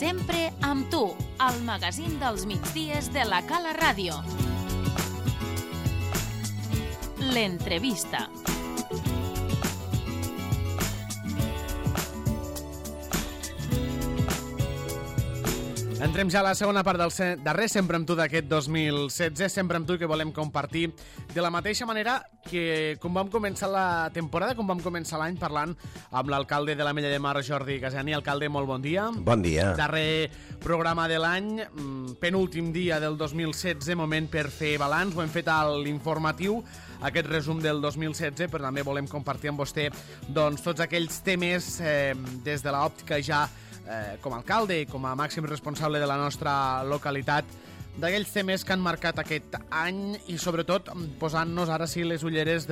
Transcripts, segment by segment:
Sempre amb tu, al magazín dels migdies de la Cala Ràdio. L'entrevista. Entrem ja a la segona part del darrer Sempre amb tu d'aquest 2016, Sempre amb tu, que volem compartir de la mateixa manera que com vam començar la temporada, com vam començar l'any parlant amb l'alcalde de l'Ametlla de Mar, Jordi Casani. Alcalde, molt bon dia. Bon dia. Darrer programa de l'any, penúltim dia del 2016, moment per fer balanç. Ho hem fet a l'informatiu, aquest resum del 2016, però també volem compartir amb vostè doncs, tots aquells temes des de l'òptica ja com a alcalde i com a màxim responsable de la nostra localitat, d'aquells temes que han marcat aquest any i sobretot posant-nos ara sí les ulleres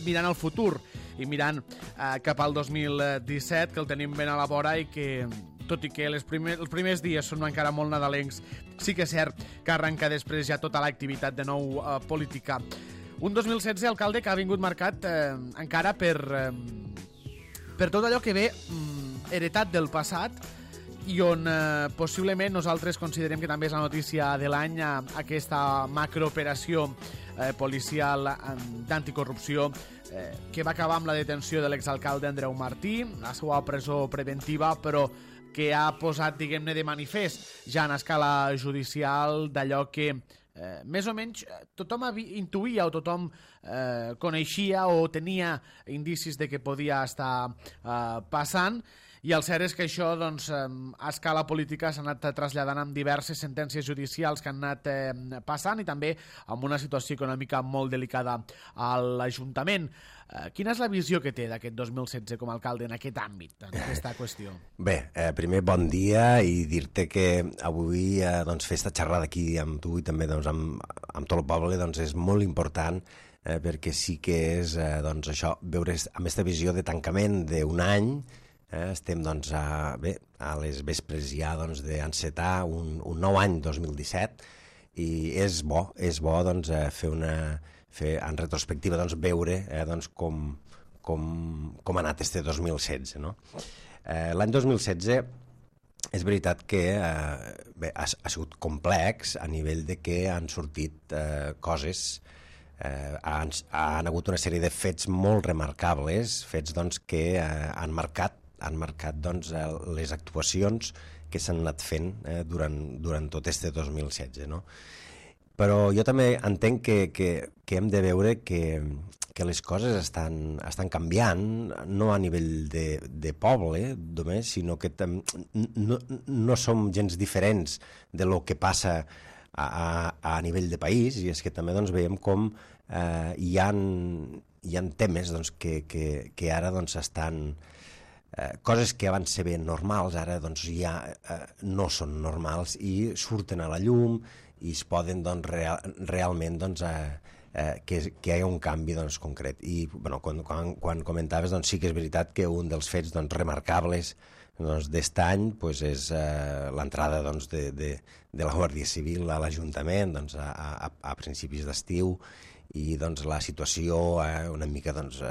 mirant al futur i mirant cap al 2017, que el tenim ben a la vora i que, tot i que els primers dies són encara molt nadalencs, sí que és cert que arrenca després ja tota l'activitat de nou política. Un 2016, alcalde, que ha vingut marcat encara per tot allò que ve heretat del passat i on possiblement nosaltres considerem que també és la notícia de l'any, aquesta macrooperació policial d'anticorrupció que va acabar amb la detenció de l'exalcalde Andreu Martí, la seva presó preventiva, però que ha posat, diguem-ne, de manifest ja en escala judicial d'allò que més o menys tothom intuïa o tothom coneixia o tenia indicis de que podia estar passant, i el cert és que això doncs, a escala política s'ha anat traslladant amb diverses sentències judicials que han anat passant i també amb una situació econòmica molt delicada a l'Ajuntament. Quina és la visió que té d'aquest 2016 com a alcalde en aquest àmbit, en aquesta qüestió? Bé, primer bon dia i dir-te que avui doncs, fer esta xerrada aquí amb tu i també doncs, amb tot el poble doncs, és molt important perquè sí que és doncs, això, veure amb aquesta visió de tancament d'un any. Estem doncs, a les vespres ja doncs, d'encetar un nou any 2017 i és bo doncs, fer en retrospectiva doncs, veure doncs, com ha anat este 2016. No? L'any 2016 és veritat que ha sigut complex a nivell de que han sortit coses, han hagut una sèrie de fets molt remarcables, fets doncs, que han marcat doncs, les actuacions que s'han anat fent durant tot este 2016. No? Però jo també entenc que hem de veure que les coses estan canviant, no a nivell de poble només, sinó que no som gens diferents de lo que passa a nivell de país, i és que també doncs, veiem com hi ha temes doncs, que ara doncs, estan... coses que abans se veien normals, ara doncs, ja no són normals i surten a la llum i es poden doncs, realment doncs, que hi ha un canvi doncs, concret. I bueno, quan comentaves doncs, sí que és veritat que un dels fets doncs, remarcables doncs, d'est any doncs, és l'entrada doncs, de la Guàrdia Civil a l'Ajuntament doncs, a principis d'estiu i doncs, la situació una mica doncs,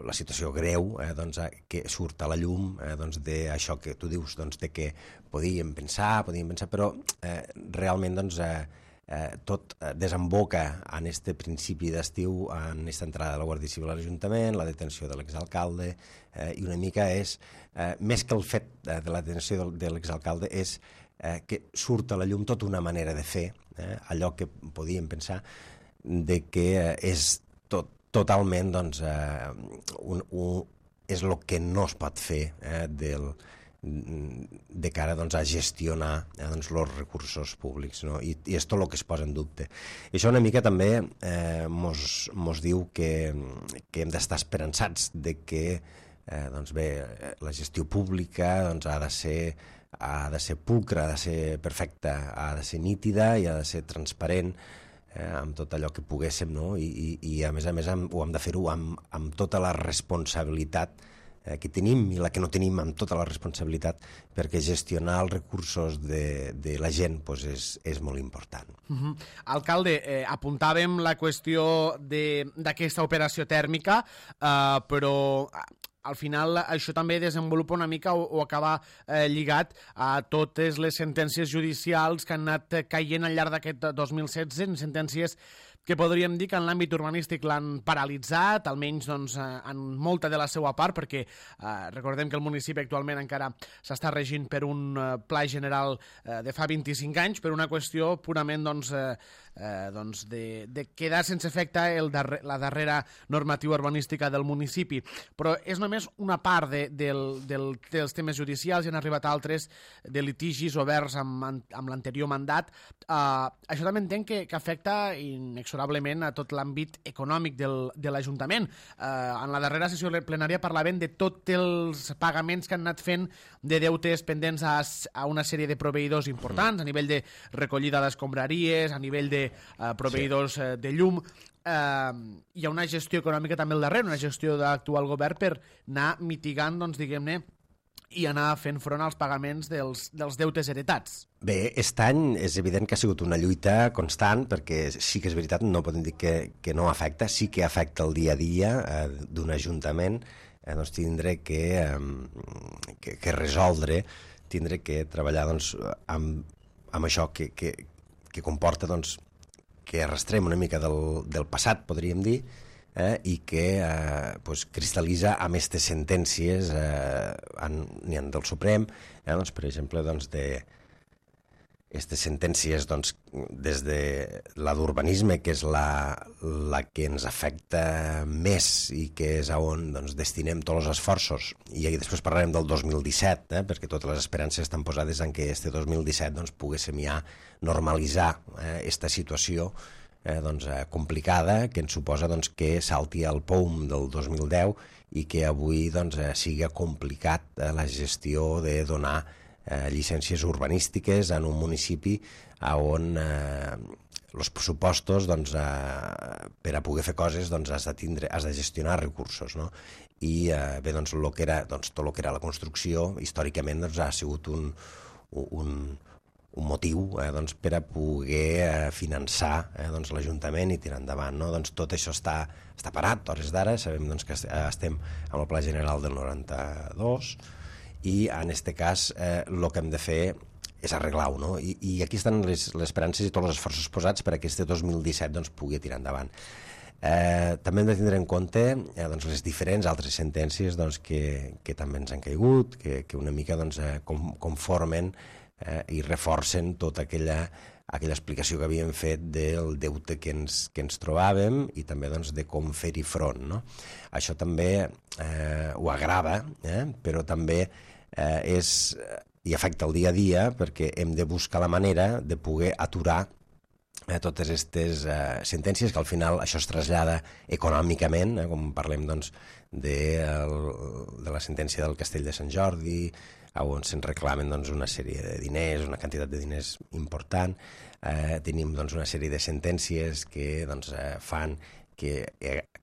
la situació greu doncs, que surt a la llum doncs, d'això que tu dius doncs, de que podíem pensar, però realment doncs, tot desemboca en este principi d'estiu, en aquesta entrada de la Guàrdia Civil a l'Ajuntament, la detenció de l'exalcalde, i una mica és, més que el fet de la detenció de l'exalcalde, és que surt a la llum tota una manera de fer, allò que podíem pensar de que és totalment doncs, és el que no es pot fer de cara doncs, a gestionar doncs, els recursos públics, no? I és tot el que es posa en dubte. I això una mica també mos diu que hem d'estar esperançats de que doncs, bé, la gestió pública doncs, ha de ser pulcra, ha de ser perfecta, ha de ser nítida i ha de ser transparent amb tot allò que poguéssim, no? I a més ho hem de fer-ho amb tota la responsabilitat que tenim i la que no tenim, amb tota la responsabilitat, perquè gestionar els recursos de la gent doncs és molt important. Alcalde, apuntàvem la qüestió d'aquesta operació tèrmica, però al final això també desenvolupa una mica o acaba lligat a totes les sentències judicials que han anat caient al llarg d'aquest 2016, sentències que podríem dir que en l'àmbit urbanístic l'han paralitzat, almenys doncs, en molta de la seva part, perquè recordem que el municipi actualment encara s'està regint per un pla general de fa 25 anys, per una qüestió purament de quedar sense efecte la darrera normativa urbanística del municipi. Però és només una part dels temes judicials, i han arribat altres de litigis oberts amb l'anterior mandat. Això també entenc que afecta inexorablement a tot l'àmbit econòmic de l'Ajuntament. En la darrera sessió plenària parlaven de tots els pagaments que han anat fent de deutes pendents a una sèrie de proveïdors importants, a nivell de recollida d'escombraries, a nivell de proveïdors de llum. Hi ha una gestió econòmica també al darrere, una gestió d'actual govern per anar mitigant, doncs, diguem-ne, i anar fent front als pagaments dels deutes heretats. Bé, aquest any és evident que ha sigut una lluita constant, perquè sí que és veritat, no podem dir que no afecta, sí que afecta el dia a dia d'un ajuntament, doncs tindre que resoldre, tindre que treballar doncs, amb això que comporta doncs, que arrastrem una mica del passat, podríem dir, i que cristal·litza amb aquestes sentències n'hi ha del Suprem, doncs, per exemple, doncs, aquestes sentències doncs, des de la d'urbanisme, que és la que ens afecta més i que és on doncs, destinem tots els esforços, i després parlarem del 2017, perquè totes les esperances estan posades en que este 2017 doncs, poguéssim ja normalitzar aquesta situació complicada, que ens suposa doncs, que salti el POUM del 2010 i que avui doncs, sigui complicat la gestió de donar llicències urbanístiques en un municipi on els pressupostos doncs, per a poder fer coses doncs, has de gestionar recursos, no? I bé, doncs, tot el que era la construcció històricament doncs, ha sigut un motiu doncs, per a poder finançar doncs, l'Ajuntament i tirar endavant. No? Doncs tot això està parat, a hores d'ara. Sabem doncs, que estem amb el Pla General del 92 i en aquest cas el que hem de fer és arreglar-ho. No? I aquí estan les esperances i tots els esforços posats per a que aquest 2017 doncs, pugui tirar endavant. També hem de tindre en compte doncs, les diferents altres sentències doncs, que també ens han caigut, que una mica doncs, conformen i reforcen tota aquella explicació que havíem fet del deute que ens trobàvem i també doncs, de com fer-hi front. No? Això també ho agrava, però també i afecta el dia a dia perquè hem de buscar la manera de poder aturar totes aquestes sentències, que al final això es trasllada econòmicament, com parlem doncs, de la sentència del Castell de Sant Jordi, on se'n reclamen doncs, una sèrie de diners, una quantitat de diners important. Tenim doncs, una sèrie de sentències que doncs, fan que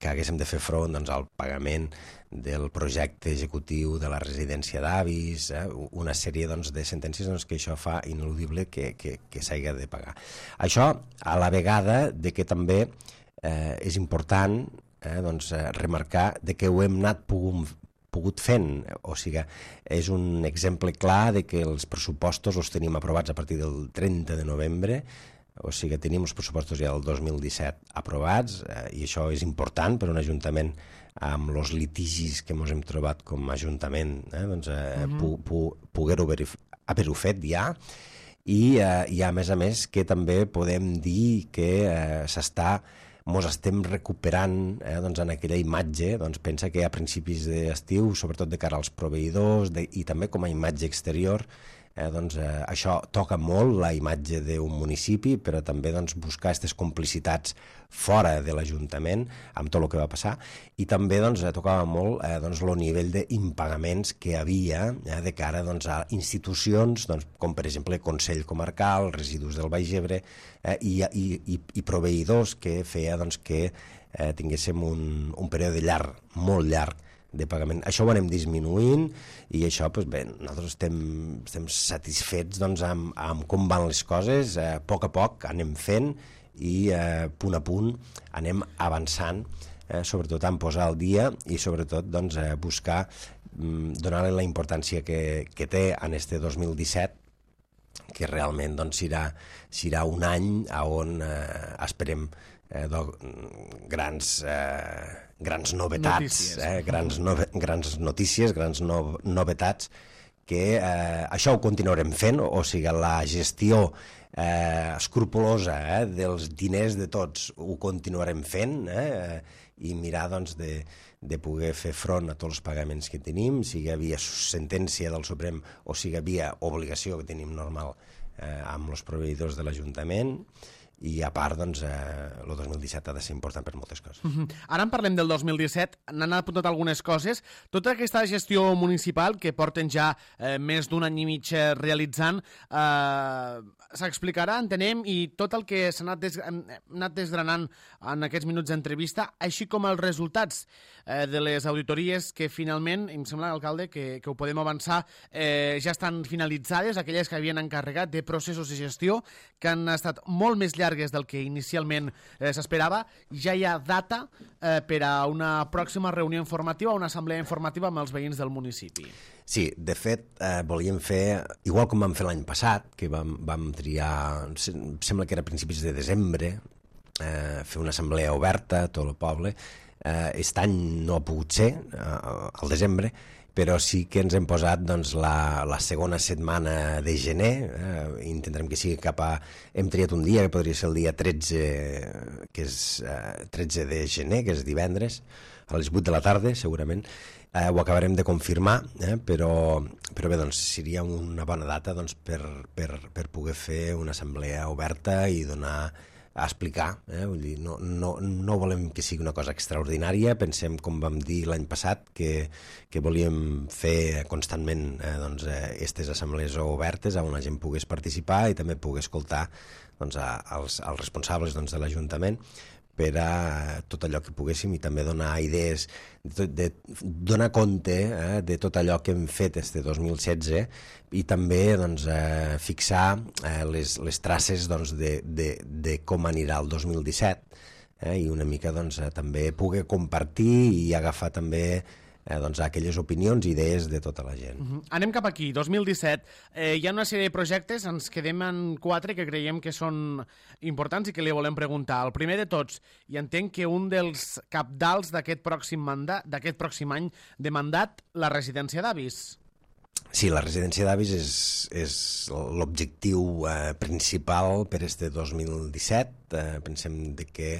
haguéssim de fer front doncs, al pagament del projecte executiu de la residència d'avis, una sèrie doncs, de sentències doncs, que això fa ineludible que s'hagi de pagar. Això a la vegada de que també és important doncs, remarcar de que ho hem anat pogut fent, o sigui, és un exemple clar de que els pressupostos els tenim aprovats a partir del 30 de novembre, o sigui, tenim els pressupostos ja del 2017 aprovats, i això és important per a un ajuntament amb els litigis que ens hem trobat com a ajuntament, doncs, poder-ho haver-ho fet ja, i a més que també podem dir que ens estem recuperant doncs, en aquella imatge. Doncs, pensa que a principis d'estiu, sobretot de cara als proveïdors i també com a imatge exterior, doncs, això toca molt la imatge d'un municipi, però també doncs, buscar aquestes complicitats fora de l'Ajuntament amb tot el que va passar, i també doncs, tocava molt doncs, el nivell d'impagaments que havia de cara doncs, a institucions doncs, com per exemple Consell Comarcal, Residus del Baix Ebre, i proveïdors que feia doncs, que tinguéssim un període llarg, molt llarg, de pagament. Això ho anem disminuint i això, doncs bé, nosaltres estem satisfets doncs, amb com van les coses. A poc anem fent i punt a punt anem avançant sobretot en posar al dia i sobretot doncs, buscar donar-li la importància que té en este 2017, que realment doncs, serà un any on esperem grans novetats, grans notícies, grans novetats, que això ho continuarem fent, o sigui, la gestió escrupulosa dels diners de tots ho continuarem fent, i mirar doncs, de poder fer front a tots els pagaments que tenim, sigui via sentència del Suprem o sigui via obligació que tenim normal amb els proveïdors de l'Ajuntament. I a part, doncs, el 2017 ha de ser important per moltes coses. Ara en parlem del 2017, n'han apuntat algunes coses. Tota aquesta gestió municipal que porten ja més d'un any i mig realitzant s'explicarà, entenem, i tot el que s'ha anat desgranant en aquests minuts d'entrevista, així com els resultats de les auditories que finalment, em sembla, alcalde, que ho podem avançar, ja estan finalitzades, aquelles que havien encarregat de processos de gestió, que han estat molt més llargues del que inicialment s'esperava. Ja hi ha data per a una pròxima reunió informativa, una assemblea informativa amb els veïns del municipi. Sí, de fet, volíem fer, igual com vam fer l'any passat, que vam triar, sembla que era a principis de desembre, fer una assemblea oberta a tot el poble. Aquest any no ha pogut ser, al desembre, però sí que ens hem posat doncs, la segona setmana de gener, intentarem que sigui cap a... Hem triat un dia, que podria ser el dia 13, que és 13 de gener, que és divendres, a les 8 de la tarda, segurament. Ho acabarem de confirmar, però bé, doncs, seria una bona data doncs, per poder fer una assemblea oberta i donar a explicar. Vull dir, no volem que sigui una cosa extraordinària, pensem, com vam dir l'any passat, que volíem fer constantment aquestes assemblees obertes on la gent pogués participar i també pogués escoltar doncs, els responsables doncs, de l'Ajuntament per a tot allò que poguéssim i també donar idees, donar compte de tot allò que hem fet este 2016 i també doncs, fixar les traces doncs, de com anirà el 2017 i una mica doncs, també poder compartir i agafar també doncs, aquelles opinions i idees de tota la gent. Anem cap aquí, 2017. Hi ha una sèrie de projectes, ens quedem en 4 que creiem que són importants i que li volem preguntar. El primer de tots, i entenc que un dels capdals d'aquest pròxim any de mandat, la residència d'avis. Sí, la residència d'avis és l'objectiu principal per este 2017. Pensem que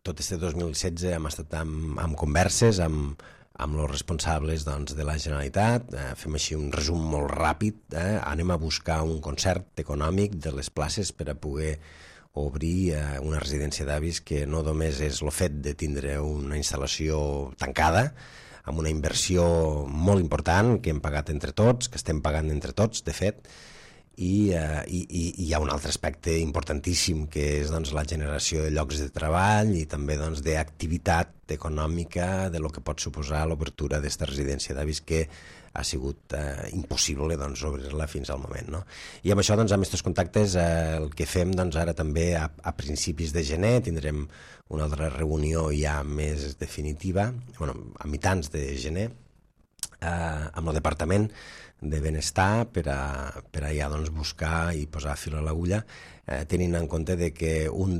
tot este 2016 hem estat en converses amb els responsables doncs, de la Generalitat. Fem així un resum molt ràpid. Anem a buscar un concert econòmic de les places per a poder obrir una residència d'avis que no només és el fet de tindre una instal·lació tancada, amb una inversió molt important que hem pagat entre tots, que estem pagant entre tots, de fet, i hi ha un altre aspecte importantíssim que és doncs, la generació de llocs de treball i també doncs, d'activitat econòmica de lo que pot suposar l'obertura d'esta residència d'avis que ha sigut impossible doncs, obrir-la fins al moment. No? I amb això, doncs, amb aquests contactes, el que fem doncs, ara també a principis de gener tindrem una altra reunió ja més definitiva, a mitjans de gener, amb el Departament de Benestar per a ja doncs, buscar i posar fil a l'agulla, tenint en compte de que una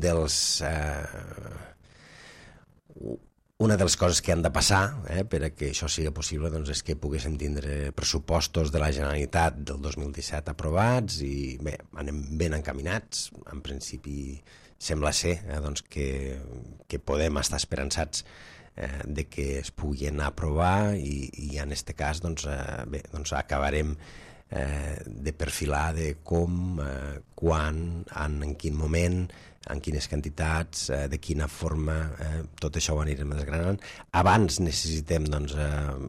de les coses que han de passar per a que això sigui possible doncs, és que poguéssim tindre pressupostos de la Generalitat del 2017 aprovats i bé, anem ben encaminats. En principi sembla ser doncs, que podem estar esperançats de que es puguin aprovar i en aquest cas doncs, bé, doncs acabarem de perfilar de com, quan, en quin moment, en quines quantitats, de quina forma, tot això ho anirem desgranant. Abans necessitem doncs,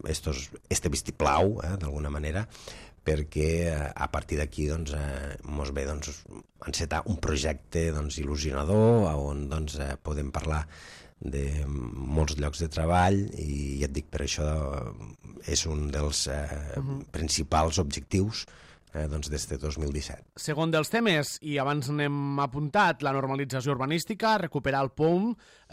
este vistiplau, d'alguna manera, perquè a partir d'aquí doncs, mos ve doncs, encetar un projecte doncs, il·lusionador on doncs, podem parlar de molts llocs de treball i ja et dic, per això és un dels principals objectius doncs, des de 2017. Segon dels temes, i abans n'hem apuntat, la normalització urbanística, recuperar el POUM,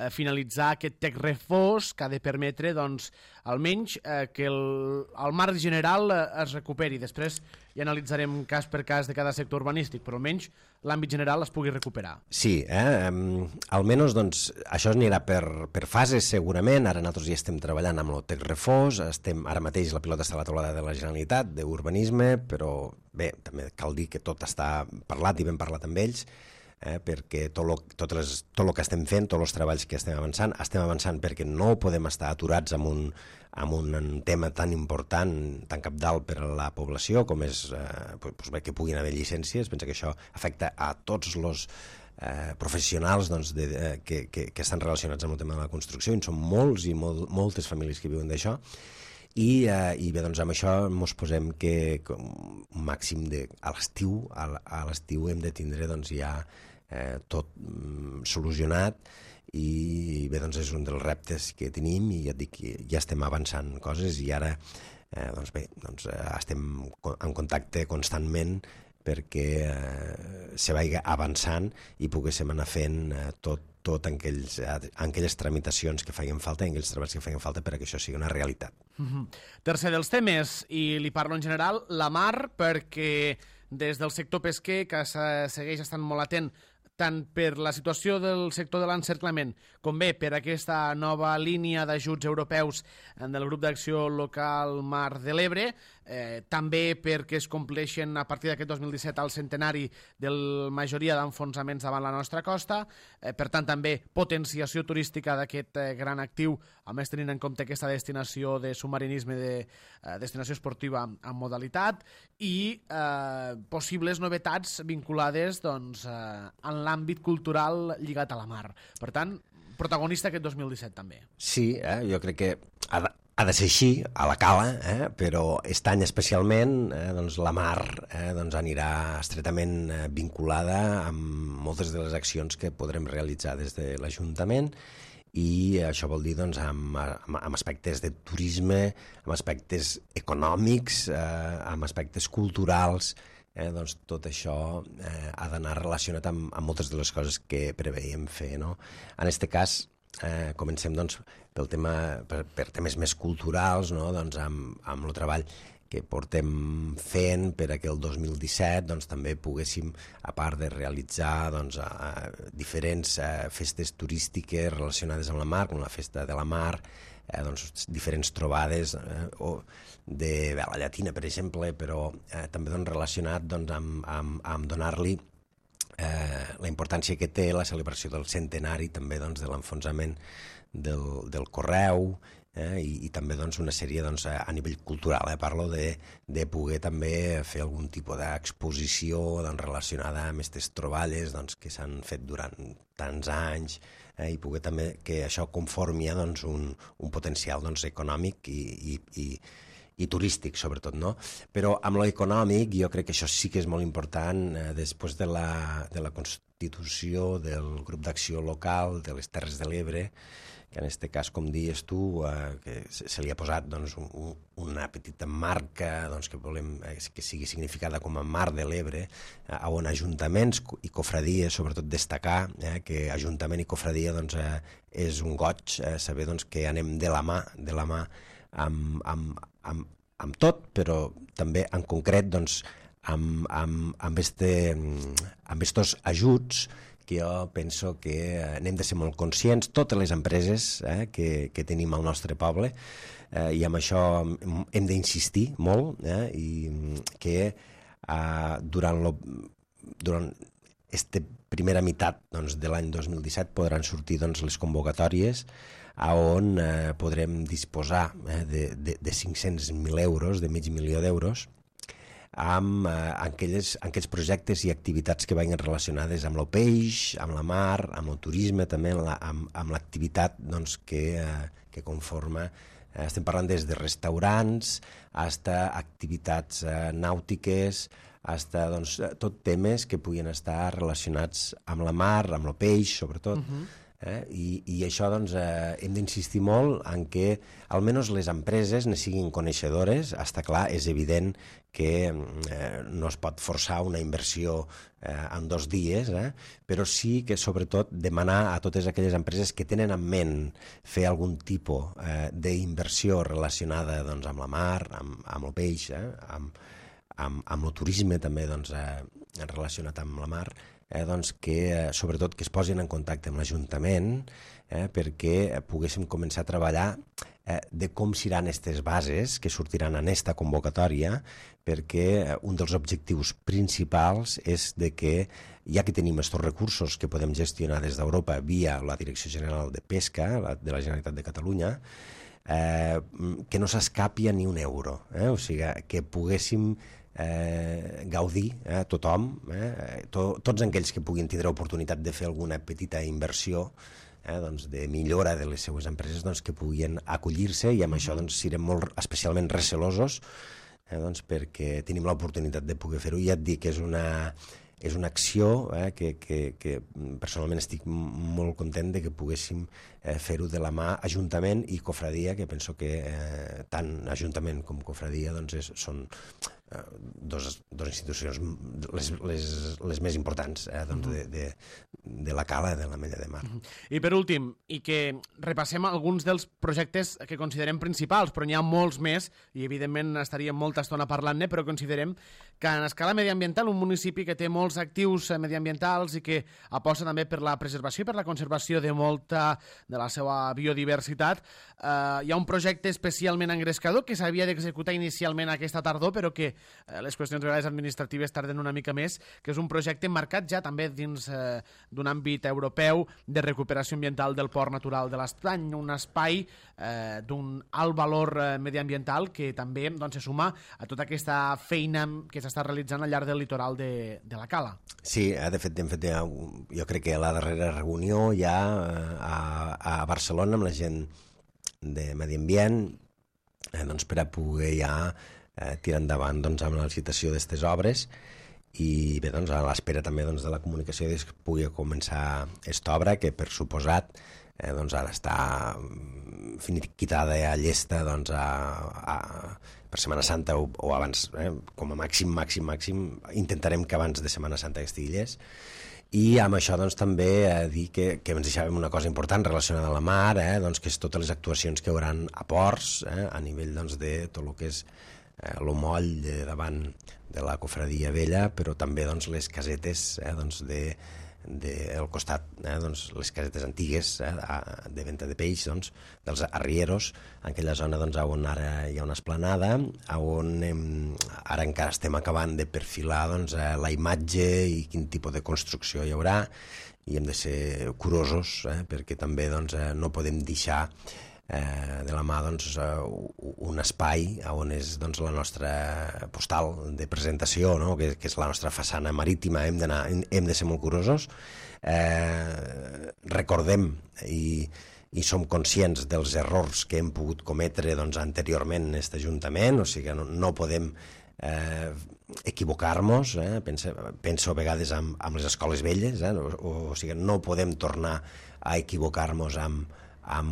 finalitzar aquest tec refós que ha de permetre, doncs, almenys que el marc general es recuperi. Després ja analitzarem cas per cas de cada sector urbanístic, però almenys l'àmbit general es pugui recuperar. Sí, almenys doncs, això anirà per fases segurament. Ara nosaltres ja estem treballant amb el tec refós, ara mateix la pilota està a la taulada de la Generalitat d'urbanisme, però bé, també cal dir que tot està parlat i ben parlat amb ells, perquè tot el que estem fent, tots els treballs que estem avançant perquè no podem estar aturats amb un tema tan important, tan cabdal per a la població, com és que puguin haver llicències. Pensa que això afecta a tots els professionals que estan relacionats amb el tema de la construcció, i són molts i moltes famílies que viuen d'això. I bé, doncs amb això ens posem que un màxim a l'estiu hem de tindre doncs ja tot solucionat, i bé, doncs és un dels reptes que tenim, i ja et dic que ja estem avançant coses, i ara doncs bé, doncs estem en contacte constantment perquè se vagi avançant i poguéssim anar fent tot en aquelles tramitacions que feien falta, en aquells treballs que feien falta perquè això sigui una realitat. Tercer dels temes, i li parlo en general, la mar, perquè des del sector pesquer, que segueix estant molt atent tant per la situació del sector de l'encerclament com bé per aquesta nova línia d'ajuts europeus del grup d'acció local Mar de l'Ebre, també perquè es compleixen a partir d'aquest 2017 el centenari de la majoria d'enfonsaments davant la nostra costa, per tant també potenciació turística d'aquest gran actiu, a més tenint en compte aquesta destinació de submarinisme, de destinació esportiva en modalitat, i possibles novetats vinculades doncs, en l'àmbit cultural lligat a la mar. Per tant, protagonista aquest 2017 també. Sí, jo crec que ha de ser així, a la cala, però aquest any especialment doncs la mar doncs anirà estretament vinculada amb moltes de les accions que podrem realitzar des de l'Ajuntament, i això vol dir doncs, amb aspectes de turisme, amb aspectes econòmics, amb aspectes culturals. Doncs tot això ha d'anar relacionat amb moltes de les coses que preveiem fer, no? En aquest cas, comencem doncs, per temes més culturals, no? Doncs, amb el treball que portem fent per a que el 2017 doncs, també poguéssim, a part de realitzar doncs, diferents festes turístiques relacionades amb la mar, com la Festa de la Mar, doncs, diferents trobades de vela llatina, per exemple, però també doncs, relacionat doncs, amb donar-li la importància que té la celebració del centenari també doncs, de l'enfonsament del Correu, i també doncs, una sèrie doncs, a nivell cultural. Parlo de poder també fer algun tipus d'exposició doncs, relacionada amb aquestes troballes doncs, que s'han fet durant tants anys, i poder també que això conformi doncs, un potencial doncs, econòmic i turístic, sobretot, no? Però amb l'econòmic jo crec que això sí que és molt important. Després de la constitució del grup d'acció local de les Terres de l'Ebre, que en aquest cas, com dius tu, que se li ha posat doncs, una petita marca doncs, que volem que sigui significada com a Mar de l'Ebre, on ajuntaments i cofradies, sobretot destacar que ajuntament i cofradia doncs, és un goig saber doncs, que anem de la mà amb tot, però també en concret doncs, amb estos ajuts, que jo penso que n'hem de ser molt conscients, totes les empreses que tenim al nostre poble, i amb això hem d'insistir molt, i que durant aquesta primera meitat doncs, de l'any 2017 podran sortir doncs, les convocatòries on podrem disposar de 500.000 euros, de mig milió d'euros, amb aquells projectes i activitats que vagin relacionades amb el peix, amb la mar, amb el turisme, també amb l'activitat doncs, que conforma. Estem parlant des de restaurants, fins a activitats nàutiques, fins a doncs, tot temes que puguin estar relacionats amb la mar, amb el peix, sobretot. I això doncs, hem d'insistir molt en que almenys les empreses ne siguin coneixedores. Està clar, és evident que no es pot forçar una inversió en 2 dies, però sí que sobretot demanar a totes aquelles empreses que tenen en ment fer algun tipus d'inversió relacionada doncs, amb la mar, amb el peix, amb el turisme també doncs, relacionat amb la mar, doncs que sobretot que es posin en contacte amb l'Ajuntament perquè poguéssim començar a treballar de com seran aquestes bases que sortiran en esta convocatòria, perquè un dels objectius principals és de que, ja que tenim aquests recursos que podem gestionar des d'Europa via la Direcció General de Pesca de la Generalitat de Catalunya, que no s'escapi a ni un euro, o sigui, que poguéssim gaudir tothom, tots aquells que puguin tindre oportunitat de fer alguna petita inversió doncs, de millora de les seues empreses, doncs, que puguin acollir-se, i amb això doncs, serem molt especialment recelosos doncs, perquè tenim l'oportunitat de poder fer-ho. Ja et dic que és una acció que personalment estic molt content de que poguéssim fer-ho de la mà Ajuntament i Cofradia, que penso que tant Ajuntament com Cofradia doncs, són dos institucions les més importants doncs, de la cala de l'Ametlla de Mar. I per últim, i que repassem alguns dels projectes que considerem principals, però n'hi ha molts més, i evidentment estaríem molta estona parlant-ne, però considerem que en escala mediambiental, un municipi que té molts actius mediambientals i que aposta també per la preservació i per la conservació de molta de la seva biodiversitat, hi ha un projecte especialment engrescador que s'havia d'executar inicialment aquesta tardor, però que les qüestions vegades administratives tarden una mica més, que és un projecte marcat ja també dins d'un àmbit europeu de recuperació ambiental del Port Natural de l'Estany, un espai d'un alt valor mediambiental que també doncs, se suma a tota aquesta feina que s'està realitzant al llarg del litoral de la Cala. Sí, de fet, jo crec que la darrera reunió ja a Barcelona amb la gent de Medi Ambient doncs, per a poder ja tirar endavant doncs, amb la licitació d'aquestes obres, i bé, doncs, a l'espera també doncs, de la comunicació que pugui començar aquesta obra, que per suposat doncs, ha d'estar finiquitada a llesta doncs, per Setmana Santa o abans, com a màxim, intentarem que abans de Setmana Santa estigui llest. I amb això doncs, també dir que ens deixàvem una cosa important relacionada a la mar, doncs, que és totes les actuacions que hi haurà a ports, a nivell doncs, de tot el que és el moll de davant de la Cofradia Vella, però també doncs, les casetes doncs, del costat, doncs, les casetes antigues de venda de peix, doncs, dels arrieros, en aquella zona doncs, on ara hi ha una esplanada, on ara encara estem acabant de perfilar doncs, la imatge i quin tipus de construcció hi haurà, i hem de ser curosos, perquè també doncs, no podem deixar de la mà doncs, un espai on és doncs, la nostra postal de presentació, no? que és la nostra façana marítima. Hem de ser molt curosos. Recordem i som conscients dels errors que hem pogut cometre doncs, anteriorment en aquest Ajuntament, o sigui, no podem equivocar-nos, penso a vegades amb les escoles velles, o sigui, no podem tornar a equivocar-nos amb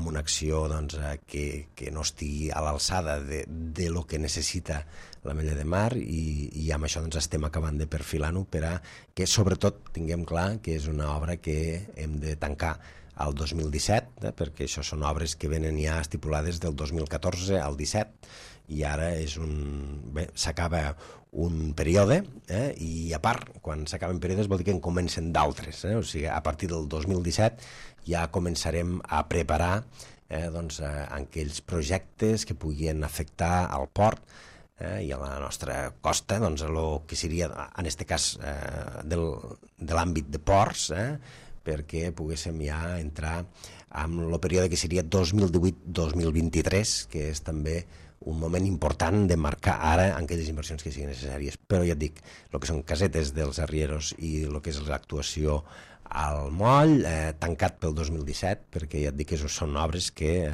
una acció doncs, que no estigui a l'alçada de lo que necessita l'Ametlla de Mar, i amb això doncs, estem acabant de perfilar-ho per a que sobretot tinguem clar que és una obra que hem de tancar al 2017, perquè això són obres que venen ja estipulades del 2014 al 17, i ara s'acaba un període, i a part, quan s'acaben períodes vol dir que en comencen d'altres, o sigui, a partir del 2017 ja començarem a preparar doncs, aquells projectes que puguin afectar al port i a la nostra costa, doncs, el que seria, en aquest cas, de l'àmbit de ports, perquè poguéssim ja entrar en el període que seria 2018-2023, que és també un moment important de marcar ara aquelles inversions que siguin necessàries. Però ja et dic, el que són casetes dels arrieros i el que és l'actuació al moll, tancat pel 2017, perquè ja et dic que són obres que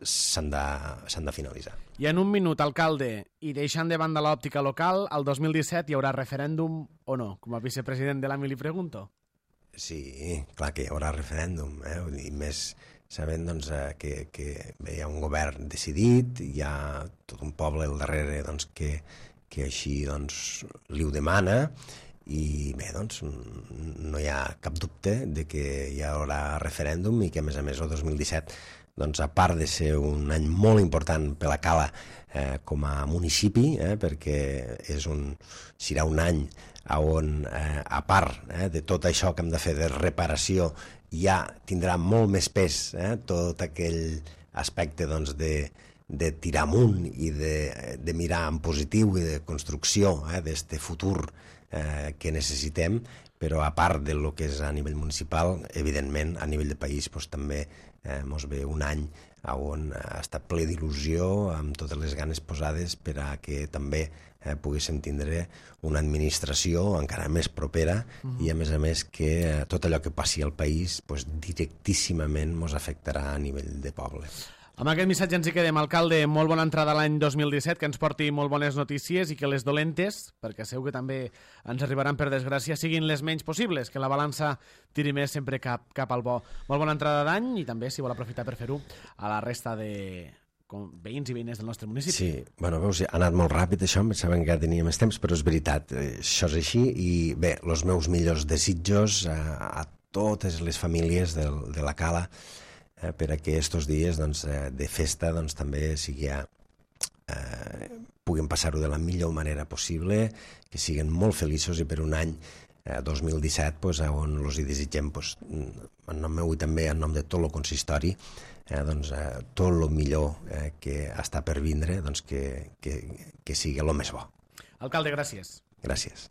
s'han de finalitzar. I en un minut, alcalde, i deixant de banda l'òptica local, al 2017 hi haurà referèndum o no? Com a vicepresident de l'AMI li pregunto. Sí, clar que hi haurà referèndum, i més sabent doncs, que hi ha un govern decidit, hi ha tot un poble al darrere doncs, que així doncs, li ho demana, i bé, doncs, no hi ha cap dubte de que hi haurà referèndum i que, a més, el 2017, doncs, a part de ser un any molt important per la Cala com a municipi, perquè serà un any on, a part de tot això que hem de fer de reparació, ja tindrà molt més pes tot aquell aspecte doncs, de tirar amunt i de mirar en positiu i de construcció d'este futur que necessitem, però a part del que és a nivell municipal, evidentment, a nivell de país doncs, també ens ve un any on ha estat ple d'il·lusió, amb totes les ganes posades per a que també poguéssim tindre una administració encara més propera i, a més, que tot allò que passi al país doncs, directíssimament ens afectarà a nivell de poble. Amb aquest missatge ens hi quedem. Alcalde, molt bona entrada a l'any 2017, que ens porti molt bones notícies i que les dolentes, perquè segur que també ens arribaran per desgràcia, siguin les menys possibles, que la balança tiri més sempre cap al bo. Molt bona entrada d'any i també, si vol aprofitar per fer-ho, a la resta de veïns i veïnes del nostre municipi. Sí, bueno, veus, ha anat molt ràpid això, em pensava que tenia més temps, però és veritat, això és així, i bé, els meus millors desitjos a totes les famílies de la Cala, per a que estos dies doncs, de festa doncs, també puguin passar-ho de la millor manera possible, que siguin molt feliços i per un any 2017 doncs, on els hi desitgem doncs, en nom meu i també en nom de tot el consistori doncs, tot el millor que està per vindre doncs, que sigui el més bo. Alcalde, gràcies. Gràcies.